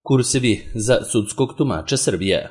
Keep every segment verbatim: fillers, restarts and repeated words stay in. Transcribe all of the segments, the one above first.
Kursevi za sudskog tumača Srbije.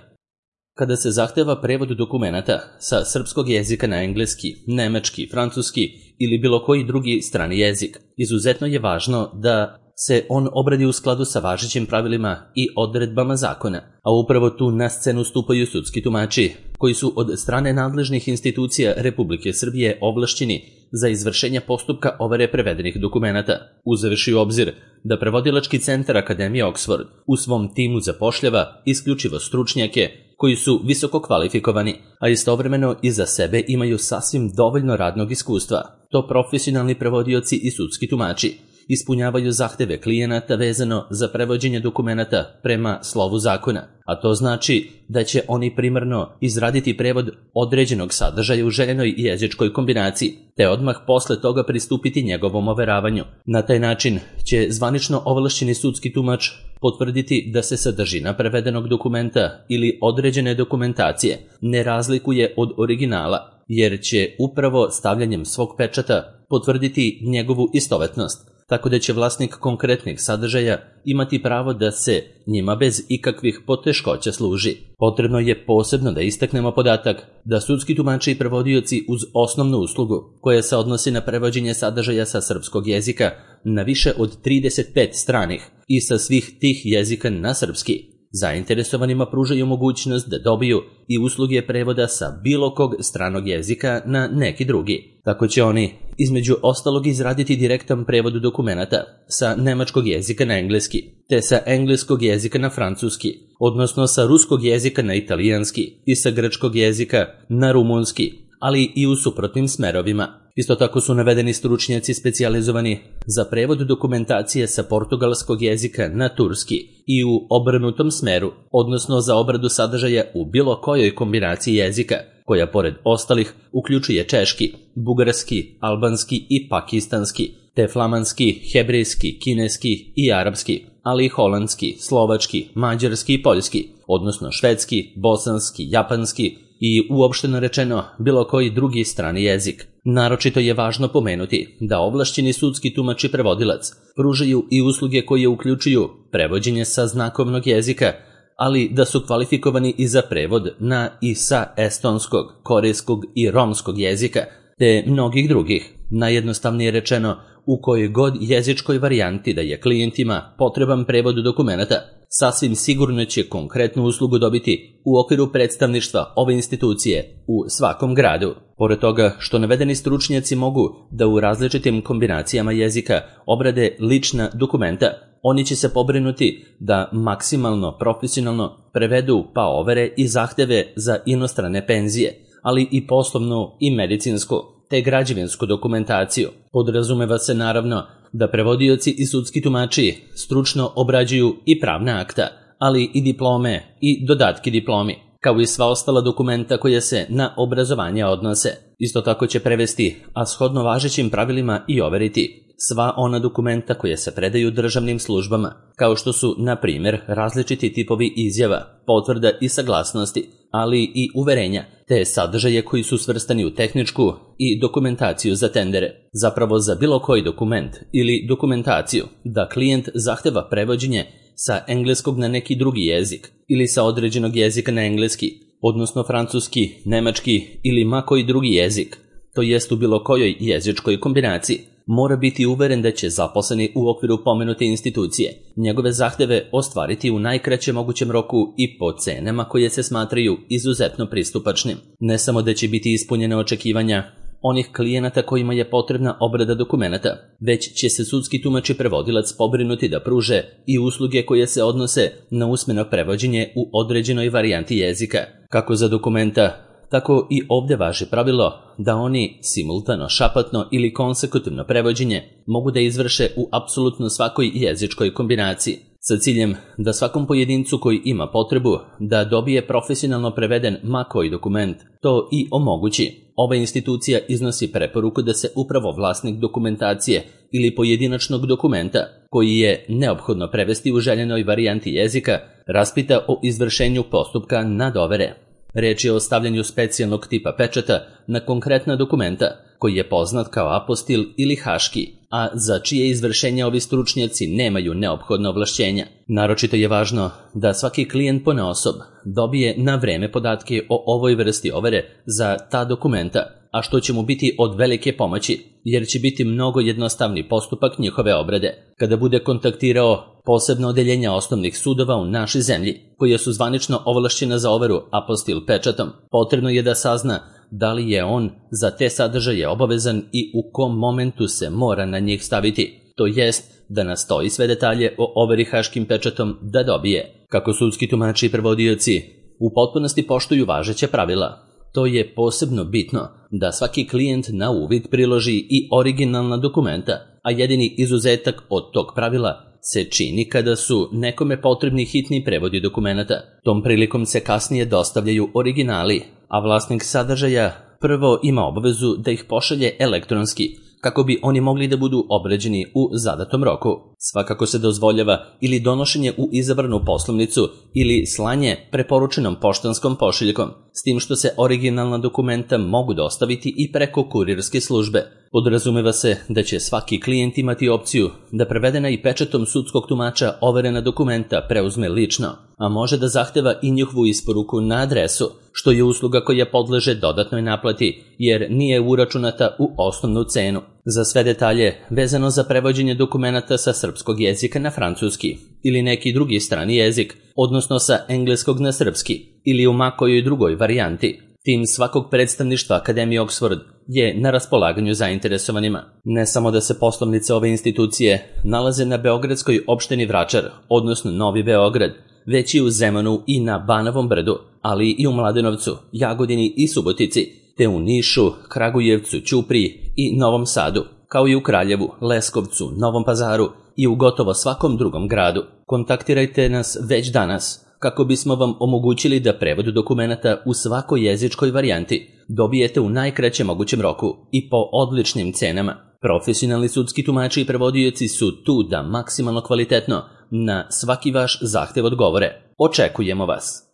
Kada se zahteva prevod dokumenata sa srpskog jezika na engleski, nemački, francuski ili bilo koji drugi strani jezik, izuzetno je važno da se on obradi u skladu sa važećim pravilima i odredbama zakona, a upravo tu na scenu stupaju sudski tumači, koji su od strane nadležnih institucija Republike Srbije ovlašćeni za izvršenje postupka overe prevedenih dokumenata, uzevši u obzir da prevodilački centar Akademije Oxford u svom timu zapošljava isključivo stručnjake koji su visoko kvalifikovani, a istovremeno iza sebe imaju sasvim dovoljno radnog iskustva. To profesionalni prevodioci i sudski tumači ispunjavaju zahteve klijenata vezano za prevođenje dokumenata prema slovu zakona, a to znači da će oni primarno izraditi prevod određenog sadržaja u željenoj jezičkoj kombinaciji, te odmah posle toga pristupiti njegovom overavanju. Na taj način će zvanično ovlašćeni sudski tumač potvrditi da se sadržina prevedenog dokumenta ili određene dokumentacije ne razlikuje od originala, jer će upravo stavljanjem svog pečata potvrditi njegovu istovetnost, tako da će vlasnik konkretnih sadržaja imati pravo da se njima bez ikakvih poteškoća služi. Potrebno je posebno da istaknemo podatak da sudski tumači i prevodioci uz osnovnu uslugu, koja se odnosi na prevođenje sadržaja sa srpskog jezika na više od trideset pet stranih i sa svih tih jezika na srpski, zainteresovanima pružaju mogućnost da dobiju i usluge prevoda sa bilo kog stranog jezika na neki drugi. Tako će oni, između ostalog, izraditi direktan prevod dokumenata sa nemačkog jezika na engleski, te sa engleskog jezika na francuski, odnosno sa ruskog jezika na italijanski i sa grčkog jezika na rumunski, ali i u suprotnim smerovima. Isto tako su navedeni stručnjaci specijalizovani za prevod dokumentacije sa portugalskog jezika na turski i u obrnutom smeru, odnosno za obradu sadržaja u bilo kojoj kombinaciji jezika, koja pored ostalih uključuje češki, bugarski, albanski i pakistanski, te flamanski, hebrejski, kineski i arapski, ali i holandski, slovački, mađarski i poljski, odnosno švedski, bosanski, japanski i uopšteno rečeno bilo koji drugi strani jezik. Naročito je važno pomenuti da ovlašćeni sudski tumač i prevodilac pružaju i usluge koje uključuju prevođenje sa znakovnog jezika, ali da su kvalifikovani i za prevod na i sa estonskog, korejskog i romskog jezika, te mnogih drugih. Najjednostavnije rečeno, u kojoj god jezičkoj varijanti da je klijentima potreban prevod dokumenata, sasvim sigurno će konkretnu uslugu dobiti u okviru predstavništva ove institucije u svakom gradu. Pored toga što navedeni stručnjaci mogu da u različitim kombinacijama jezika obrade lična dokumenta, oni će se pobrinuti da maksimalno profesionalno prevedu pa overe i zahteve za inostrane penzije, ali i poslovnu i medicinsku te građevinsku dokumentaciju. Podrazumeva se naravno da prevodioci i sudski tumači stručno obrađuju i pravna akta, ali i diplome i dodatki diplomi, kao i sva ostala dokumenta koja se na obrazovanje odnose. Isto tako će prevesti, a shodno važećim pravilima i overiti, sva ona dokumenta koje se predaju državnim službama, kao što su, na primjer, različiti tipovi izjava, potvrda i saglasnosti, ali i uverenja, te sadržaje koji su svrstani u tehničku i dokumentaciju za tendere. Zapravo za bilo koji dokument ili dokumentaciju da klijent zahteva prevođenje sa engleskog na neki drugi jezik ili sa određenog jezika na engleski, odnosno francuski, nemački ili ma koji drugi jezik, to jest u bilo kojoj jezičkoj kombinaciji, mora biti uveren da će zaposleni u okviru pomenute institucije njegove zahteve ostvariti u najkraćem mogućem roku i po cenama koje se smatraju izuzetno pristupačnim. Ne samo da će biti ispunjene očekivanja onih klijenata kojima je potrebna obrada dokumenata, već će se sudski tumač i prevodilac pobrinuti da pruže i usluge koje se odnose na usmeno prevođenje u određenoj varijanti jezika. Kako za dokumenta, tako i ovde važi pravilo da oni simultano, šapatno ili konsekutivno prevođenje mogu da izvrše u apsolutno svakoj jezičkoj kombinaciji, sa ciljem da svakom pojedincu koji ima potrebu da dobije profesionalno preveden ma koji dokument to i omogući. Ova institucija iznosi preporuku da se upravo vlasnik dokumentacije ili pojedinačnog dokumenta koji je neophodno prevesti u željenoj varijanti jezika raspita o izvršenju postupka nadovere. Reč je o stavljanju specijalnog tipa pečata na konkretna dokumenta, koji je poznat kao apostil ili haški, a za čije izvršenje ovi stručnjaci nemaju neophodna ovlašćenja. Naročito je važno da svaki klijent ponaosob dobije na vreme podatke o ovoj vrsti overe za ta dokumenta, a što će mu biti od velike pomoći, jer će biti mnogo jednostavni postupak njihove obrade. Kada bude kontaktirao posebno odeljenja osnovnih sudova u našoj zemlji, koja su zvanično ovlašćena za overu apostil pečatom, potrebno je da sazna da li je on za te sadržaje obavezan i u kom momentu se mora na njih staviti, to jest da nastoji sve detalje o overi haškim pečatom da dobije. Kako sudski tumači i prevodioci u potpunosti poštuju važeća pravila, to je posebno bitno da svaki klijent na uvid priloži i originalna dokumenta, a jedini izuzetak od tog pravila se čini kada su nekome potrebni hitni prevodi dokumenata. Tom prilikom se kasnije dostavljaju originali, a vlasnik sadržaja prvo ima obavezu da ih pošalje elektronski, kako bi oni mogli da budu obrađeni u zadatom roku. Svakako se dozvoljava ili donošenje u izabranu poslovnicu ili slanje preporučenom poštanskom pošiljkom, s tim što se originalna dokumenta mogu dostaviti i preko kurirske službe. Podrazumeva se da će svaki klijent imati opciju da prevedena i pečatom sudskog tumača overena dokumenta preuzme lično, a može da zahteva i njihovu isporuku na adresu, što je usluga koja podleže dodatnoj naplati, jer nije uračunata u osnovnu cenu. Za sve detalje vezano za prevođenje dokumenata sa srpskog jezika na francuski ili neki drugi strani jezik, odnosno sa engleskog na srpski ili u makojoj drugoj varijanti, tim svakog predstavništva Akademije Oxford je na raspolaganju zainteresovanima. Ne samo da se poslovnice ove institucije nalaze na beogradskoj opštini Vračar, odnosno Novi Beograd, već i u Zemunu i na Banovom brdu, ali i u Mladenovcu, Jagodini i Subotici, te u Nišu, Kragujevcu, Ćupriji i Novom Sadu, kao i u Kraljevu, Leskovcu, Novom Pazaru i u gotovo svakom drugom gradu. Kontaktirajte nas već danas kako bismo vam omogućili da prevod dokumenata u svakoj jezičkoj varijanti dobijete u najkraćem mogućem roku i po odličnim cenama. Profesionalni sudski tumači i prevodioci su tu da maksimalno kvalitetno na svaki vaš zahtev odgovore. Očekujemo vas!